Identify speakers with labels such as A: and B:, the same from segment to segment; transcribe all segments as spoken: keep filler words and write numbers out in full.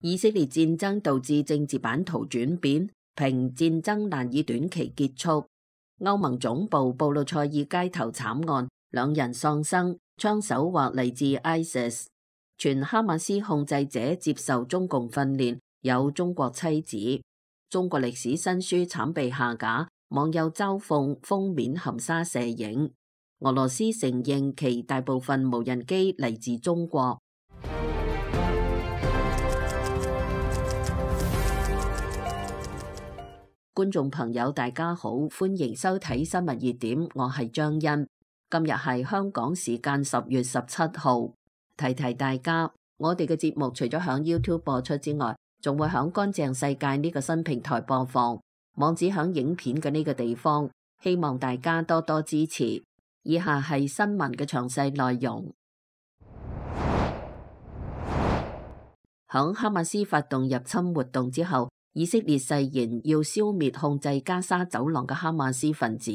A: 以色列戰爭導致政治版圖轉變，評戰爭難以短期結束。歐盟總部布魯塞爾街頭慘案，兩人喪生，槍手或嚟自 I S I S。全哈馬斯控制者接受中共訓練，有中國妻子。中國歷史新書慘被下架，網友嘲諷封面含沙射影。俄羅斯承認其大部分無人機嚟自中國。觀眾朋友大家好，歡迎收睇新聞熱點，我係張欣。今日係香港時間十月十七號，提提大家，我哋嘅節目除咗響 YouTube 播出之外，仲會響乾淨世界呢個新平台播放，網址響影片嘅呢個地方，希望大家多多支持。以下係新聞嘅詳細內容。響哈馬斯發動入侵活動之後，以色列誓言要消滅控制加沙走廊嘅哈馬斯分子。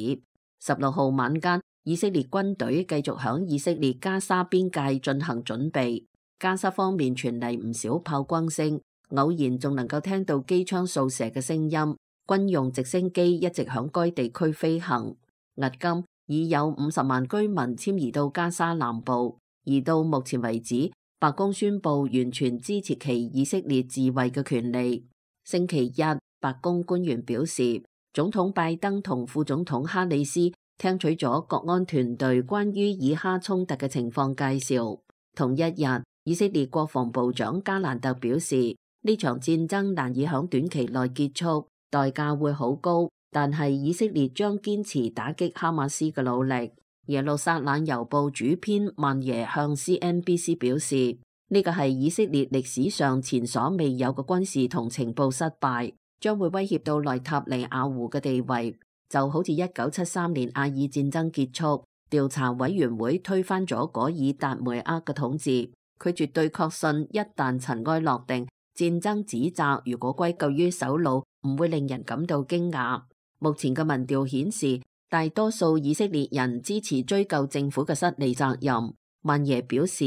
A: 十六號晚間，以色列軍隊繼續響以色列加沙邊界進行準備。加沙方面傳嚟唔少炮轟聲，偶然仲能夠聽到機槍掃射嘅聲音。軍用直升機一直響該地區飛行。迄今已有五十萬居民遷移到加沙南部，而到目前為止，白宮宣布完全支持其以色列自衛嘅權利。星期一，白宮官員表示，總統拜登同副總統哈里斯聽取咗國安團隊關於以哈衝突嘅情況介紹。同一日，以色列國防部長加蘭特表示，呢場戰爭難以響短期內結束，代價會好高，但係以色列將堅持打擊哈馬斯嘅努力。耶路撒冷郵報主編曼耶向 C N B C 表示，呢個係以色列歷史上前所未有嘅軍事同情報失敗，將會威脅到內塔尼亞胡嘅地位，就好似一九七三年阿爾戰爭結束，調查委員會推翻咗果爾達梅厄嘅統治。佢絕對確信，一旦塵埃落定，戰爭指責如果歸咎於首腦，唔會令人感到驚訝。目前嘅民調顯示，大多數以色列人支持追究政府嘅失利責任。曼耶表示，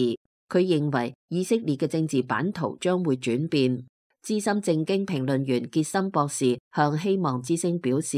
A: 佢認為以色列嘅政治版圖將會轉變。資深政經評論員傑森博士向希望之聲表示，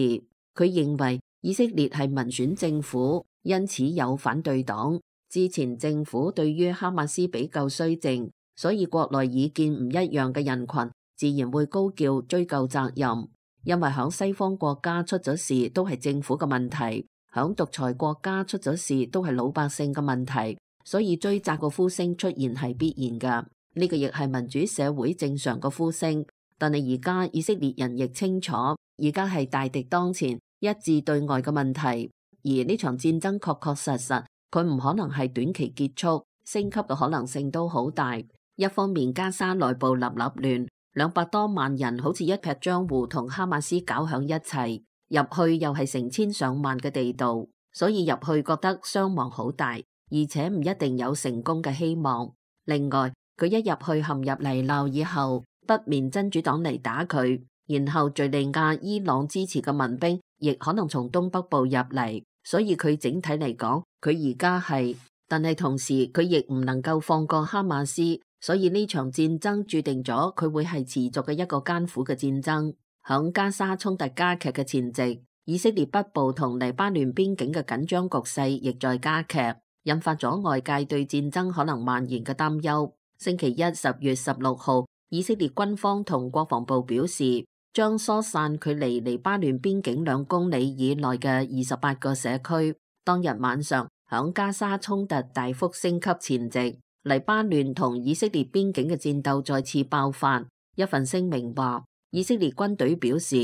A: 佢認為以色列係民選政府，因此有反對黨。之前政府對於哈馬斯比較綏靜，所以國內意見唔一樣嘅人群自然會高叫追究責任。因為響西方國家出咗事都係政府嘅問題，響獨裁國家出咗事都係老百姓嘅問題。所以追責個呼聲出現係必然㗎，呢個亦係民主社會正常個呼聲。但係而家以色列人亦清楚，而家係大敵當前，一致對外嘅問題。而呢場戰爭確確實實，佢唔可能係短期結束，升級嘅可能性都好大。一方面加沙內部立立亂，兩百多萬人好似一劈漿糊同哈馬斯搞響一齊，入去又係成千上萬嘅地道，所以入去覺得傷亡好大。而且唔一定有成功嘅希望。另外，佢一入去陷入泥淖以後，北面真主黨嚟打佢，然後敘利亞、伊朗支持嘅民兵亦可能從東北部入嚟，所以佢整體嚟講，佢而家係，但係同時佢亦唔能夠放過哈馬斯，所以呢場戰爭注定咗佢會係持續嘅一個艱苦嘅戰爭。響加沙衝突加劇嘅前夕，以色列北部同黎巴嫩邊境嘅緊張局勢亦在加劇，引發咗外界對戰爭可能蔓延嘅擔憂。星期一十月十六號，以色列軍方同國防部表示，將疏散距離黎巴嫩邊境兩公里以內嘅二十八個社區。當日晚上，響加沙衝突大幅升級前夕，黎巴嫩同以色列邊境嘅戰鬥再次爆發。一份聲明話，以色列軍隊表示，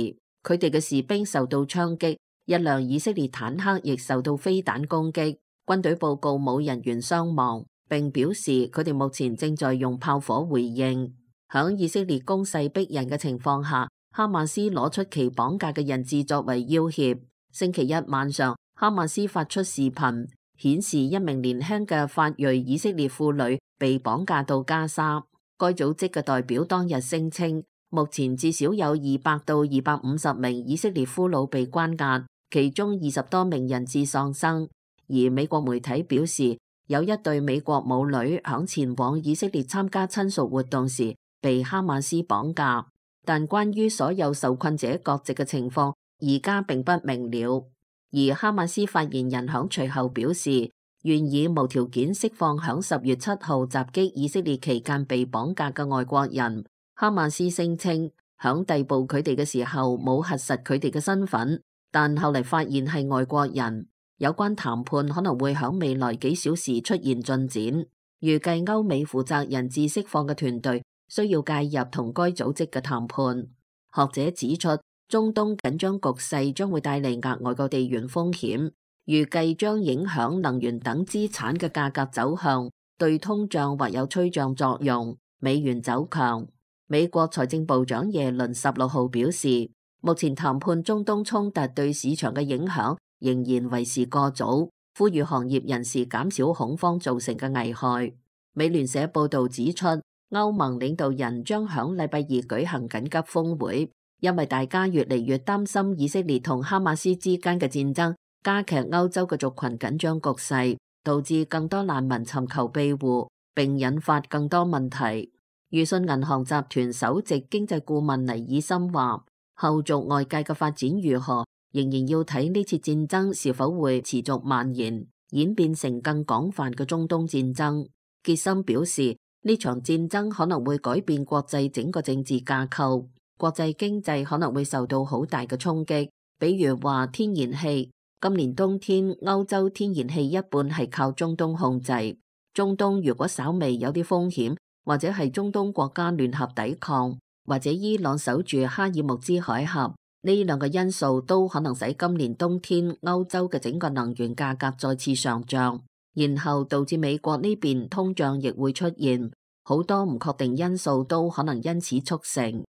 A: 佢哋嘅士兵受到槍擊，一輛以色列坦克亦受到飛彈攻擊。軍隊報告冇人員傷亡，並表示佢哋目前正在用炮火回應。響以色列攻勢逼人嘅情況下，哈馬斯攞出其綁架嘅人質作為要挾。星期一晚上，哈馬斯發出視頻，顯示一名年輕嘅法裔以色列婦女被綁架到加沙。該組織嘅代表當日聲稱，目前至少有二百到二百五十名以色列俘虜被關押，其中二十多名人質喪生。而美國媒體表示，有一對美國母女響前往以色列參加親屬活動時，被哈馬斯綁架。但關於所有受困者各籍嘅情況，而家並不明了。而哈馬斯發言人響隨後表示，願意無條件釋放響十月七號襲擊以色列期間被綁架嘅外國人。哈馬斯聲稱響逮捕佢哋嘅時候冇核實佢哋嘅身份，但後嚟發現係外國人。有關談判可能會響未來幾小時出現進展。預計歐美負責人質釋放嘅團隊需要介入同該組織嘅談判。學者指出，中東緊張局勢將會帶嚟額外嘅地緣風險，預計將影響能源等資產嘅價格走向，對通脹或有催脹作用。美元走強。美國財政部長耶倫十六號表示，目前談判中東衝突對市場嘅影響仍然為時過早，呼籲行業人士減少恐慌造成嘅危害。美聯社報導指出，歐盟領導人將響禮拜二舉行緊急峰會，因為大家越嚟越擔心以色列同哈馬斯之間嘅戰爭加劇歐洲嘅族群緊張局勢，導致更多難民尋求庇護，並引發更多問題。裕信銀行集團首席經濟顧問尼爾森話，後續外界嘅發展如何，仍然要睇呢次戰爭是否會持續蔓延，演變成更廣泛嘅中東戰爭。傑森表示，呢場戰爭可能會改變國際整個政治架構，國際經濟可能會受到好大嘅衝擊。比如話天然氣，今年冬天歐洲天然氣一半係靠中東控制。中東如果稍微有啲風險，或者係中東國家聯合抵抗，或者伊朗守住哈爾木茲海峽，呢兩個因素都可能使今年冬天歐洲嘅整個能源價格再次上漲。然後導致美國呢邊通脹亦會出現，好多唔確定因素都可能因此促成。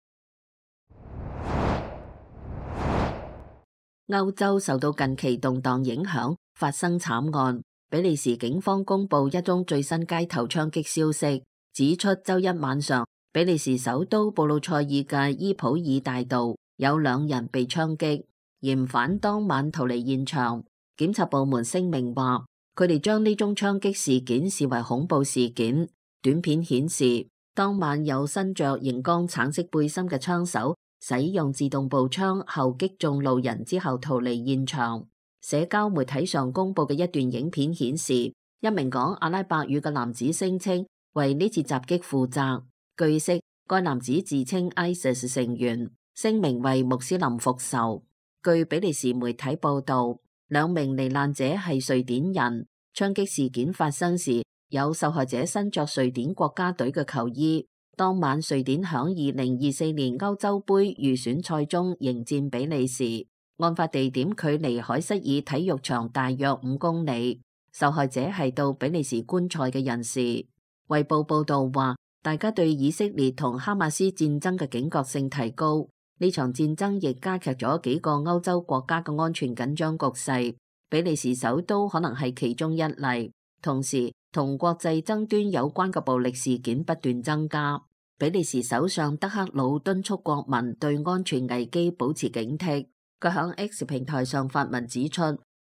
A: 歐洲受到近期動盪影響，發生慘案。比利時警方公布一宗最新街頭槍擊消息，指出周一晚上比利時首都布魯塞爾嘅伊普爾大道有兩人被槍擊，嫌犯當晚逃離現場。檢察部門聲明話，佢哋將呢宗槍擊事件視為恐怖事件。短片顯示，當晚有身着熒光橙色背心嘅槍手使用自動步槍後擊中路人之後逃離現場。社交媒體上公布嘅一段影片顯示，一名講阿拉伯語嘅男子聲稱為呢次襲擊負責。據悉，該男子自稱 ISIS 成員，聲明為穆斯林復仇。據比利時媒體報道，兩名罹難者係瑞典人。槍擊事件發生時，有受害者身着瑞典國家隊嘅球衣。當晚，瑞典響二零二四年歐洲杯預選賽中迎戰比利時。案發地點距離海瑟爾體育場大約五公里。受害者係到比利時觀賽嘅人士。衛報報道話，大家對以色列同哈馬斯戰爭嘅警覺性提高。呢場戰爭亦加劇咗幾個歐洲國家嘅安全緊張局勢。比利時首都可能係其中一例。同時，同國際爭端有關嘅暴力事件不斷增加。比利時首相德克魯敦促國民對安全危機保持警惕。佢響 X 平台上發文指出，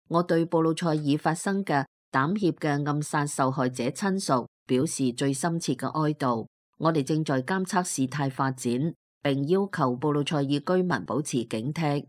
A: 我對布魯塞爾發生嘅膽怯嘅暗殺受害者親屬表示最深切嘅哀悼。我哋正在監測事態發展，並要求布魯塞爾居民保持警惕。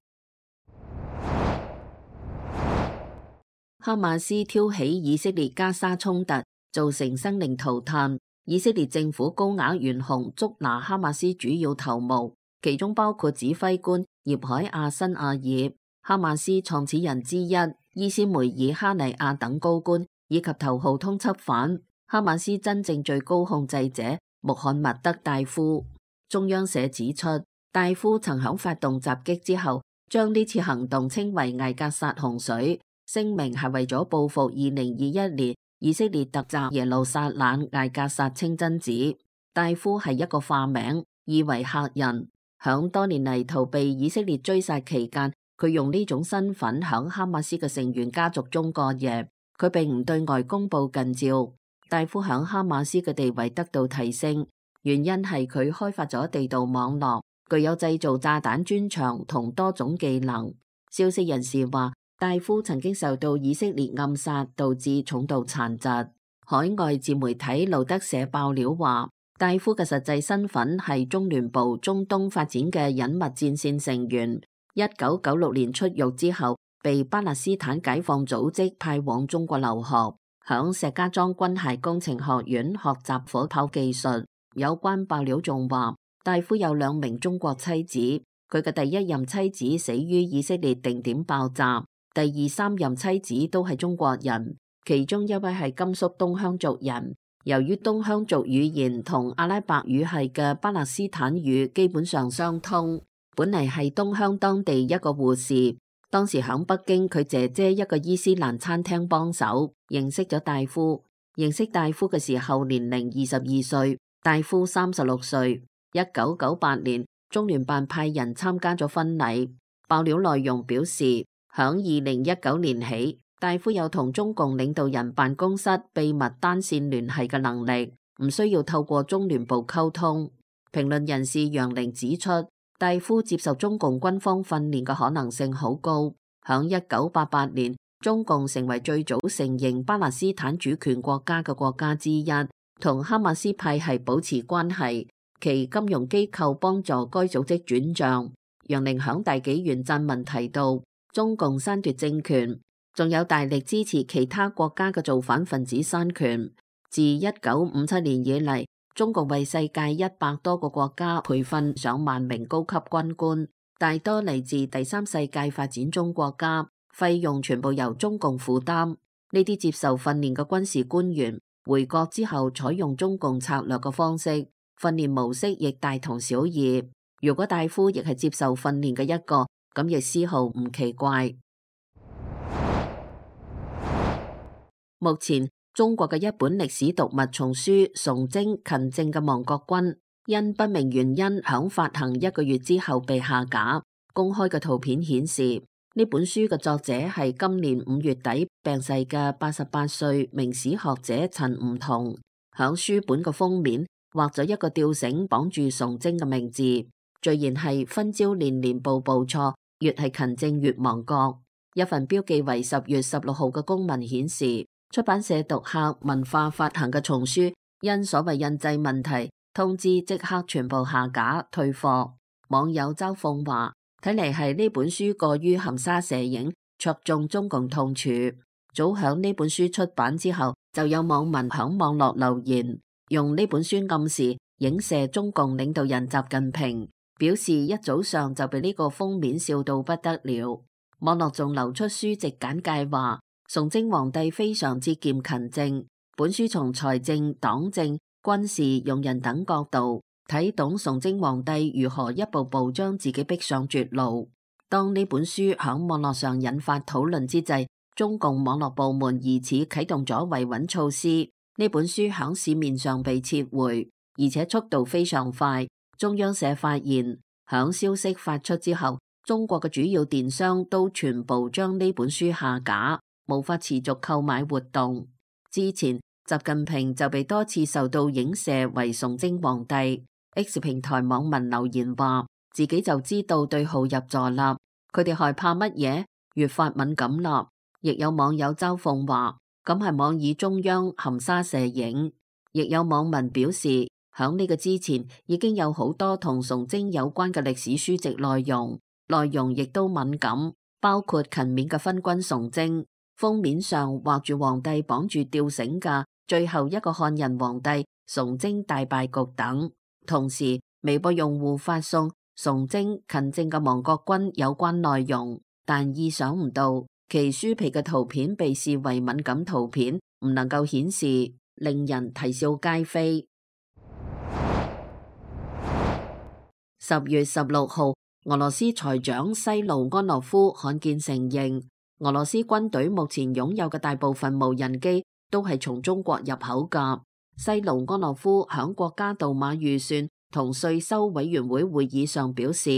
A: 哈馬斯挑起以色列加沙衝突，造成生靈塗炭。以色列政府高額懸紅捉拿哈馬斯主要頭目，其中包括指揮官葉海亞辛亞爾、哈馬斯創始人之一伊斯梅爾哈尼亞等高官，以及頭號通緝犯哈馬斯真正最高控制者穆罕默德戴夫。中央社指出，戴夫曾響發動襲擊之後，將呢次行動稱為艾格薩洪水。聲明係為咗報復二零二一年以色列突襲耶路撒冷艾格薩清真寺。戴夫係一個化名，意為客人。響多年嚟逃避以色列追殺期間，佢用呢種身份響哈馬斯嘅成員家族中過夜。佢並唔對外公布近照。戴夫響哈馬斯嘅地位得到提升，原因係佢開發咗地道網絡，具有製造炸彈專長同多種技能。消息人士話，戴夫曾經受到以色列暗殺，導致重度殘疾。海外自媒體路德社爆料話，戴夫嘅實際身份係中聯部中東發展嘅隱密戰線成員。一九九六年出獄之後，被巴勒斯坦解放組織派往中國留學，響石家莊軍械工程學院學習火炮技術。有關爆料仲話，戴夫有兩名中國妻子，佢嘅第一任妻子死於以色列定點爆炸，第二三任妻子都係中國人，其中一位係甘肅東鄉族人。由於東鄉族語言同阿拉伯語系嘅巴勒斯坦語基本上相通，本嚟係東鄉當地一個護士，當時響北京佢姐姐一個伊斯蘭餐廳幫手，認識咗戴夫。認識戴夫嘅時候年齡二十二歲，戴夫三十六歲。一九九八年，中聯辦派人參加咗婚禮。爆料內容表示，響二零一九年起，戴夫有同中共領導人辦公室秘密單線聯繫嘅能力，唔需要透過中聯部溝通。評論人士楊玲指出，戴夫接受中共軍方訓練嘅可能性好高。響一九八八年，中共成為最早承認巴勒斯坦主權國家嘅國家之一，同哈馬斯派系保持關係，其金融機構幫助該組織轉賬。楊玲響大紀元撰文提到，中共篡奪政權，仲有大力支持其他國家嘅造反分子篡權。自一九五七年以嚟，中共為世界一百多個國家培訓上萬名高級軍官，大多嚟自第三世界發展中國家，費用全部由中共負擔。呢啲接受訓練嘅軍事官員回國之後，採用中共策略嘅方式，訓練模式亦大同小異。如果戴夫亦係接受訓練嘅一個，咁亦絲毫唔奇怪。目前中國嘅一本歷史讀物叢書《崇禎勤政嘅亡國君》，因不明原因響發行一個月之後被下架。公開嘅圖片顯示，呢本書嘅作者係今年五月底病逝嘅八十八歲明史學者陳梧桐。響書本嘅封面畫咗一個吊繩綁住崇禎嘅名字，序言係分朝連連步步錯，越係勤政越亡國。一份標記為十月十六號嘅公文顯示，出版社讀客文化發行嘅叢書因所謂印製問題，通知即刻全部下架退貨。網友周鳳話，睇嚟係呢本書過於含沙射影，戳中中共痛處。早響呢本書出版之後，就有網民響網絡留言，用呢本書暗示影射中共領導人習近平，表示一早上就被呢個封面笑到不得了。網絡仲流出書籍簡介話，崇禎皇帝非常之節儉勤政，本書從財政、黨政、軍事、用人等角度睇懂崇禎皇帝如何一步步將自己逼上絕路。當呢本書響網絡上引發討論之際，中共網絡部門疑似啟動咗維穩措施，呢本書響市面上被撤回，而且速度非常快。中央社發現，響消息發出之後，中國嘅主要電商都全部將呢本書下架，無法持續購買活動。之前習近平就被多次受到影射為崇禎皇帝。X 平台網民留言話，自己就知道對號入座啦，佢哋害怕乜嘢？越發敏感啦。亦有網友嘲諷話，咁係妄議中央含沙射影。亦有網民表示，響呢個之前已經有好多同崇禎有關嘅歷史書籍內容，內容亦都敏感，包括勤勉嘅昏君崇禎，封面上畫住皇帝綁住吊繩嘅最後一個漢人皇帝崇禎大敗局等。同時，微博用戶發送崇禎勤政嘅亡國君有關內容，但意想唔到，其書皮嘅圖片被視為敏感圖片，唔能夠顯示，令人啼笑皆非。十月十六號，俄羅斯財長西盧安諾夫罕見承認，俄羅斯軍隊目前擁有嘅大部分無人機都係從中國入口㗎。西盧安諾夫響國家杜馬預算同稅收委員會會議上表示，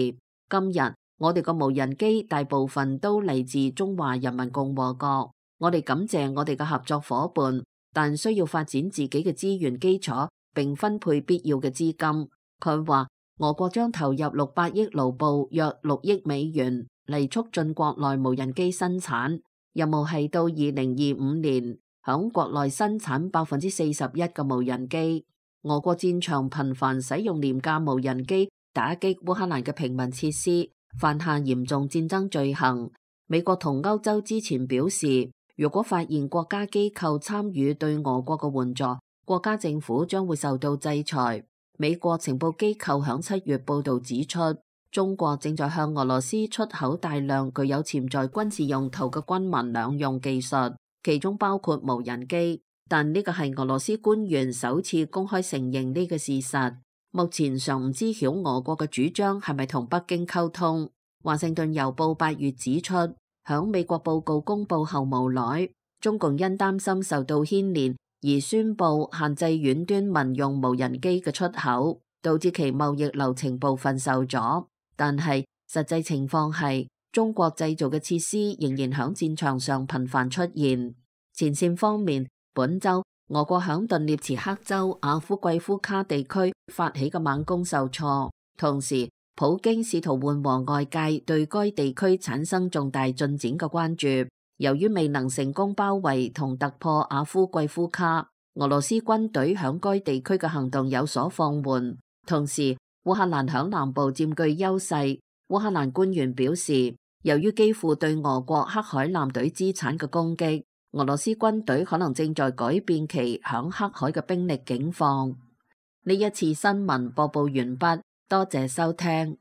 A: 今日我哋個無人機大部分都嚟自中華人民共和國，我哋感謝我哋嘅合作夥伴，但需要發展自己嘅資源基礎並分配必要嘅資金。佢話俄國將投入六百億盧布約六億美元嚟促進國內無人機生產，任務係到二零二五年響國內生產百分之四十一嘅無人機。俄國戰場頻繁使用廉價無人機打擊烏克蘭嘅平民設施，犯下嚴重戰爭罪行。美國同歐洲之前表示，如果發現國家機構參與對俄國嘅援助，國家政府將會受到制裁。美國情報機構響七月報道指出，中國正在向俄羅斯出口大量具有潛在軍事用途嘅軍民兩用技術，其中包括無人機。但呢個係俄羅斯官員首次公開承認呢個事實。目前尚唔知曉俄國嘅主張係咪同北京溝通。華盛頓郵報八月指出，響美國報告公佈後無奈，中共因擔心受到牽連而宣布限制遠端民用無人機嘅出口，導致其貿易流程部分受阻。但係實際情況係，中國製造嘅設施仍然響戰場上頻繁出現。前線方面，本週俄國響頓涅茨克州阿夫季夫卡地區發起嘅猛攻受挫，同時普京試圖緩和外界對該地區產生重大進展嘅關注。由於未能成功包圍同突破阿夫季夫卡，俄羅斯軍隊響該地區嘅行動有所放緩。同時，烏克蘭響南部佔據優勢。烏克蘭官員表示，由於基輔對俄國黑海艦隊資產嘅攻擊，俄羅斯軍隊可能正在改變其響黑海嘅兵力境況。呢一次新聞播報完畢，多謝收聽。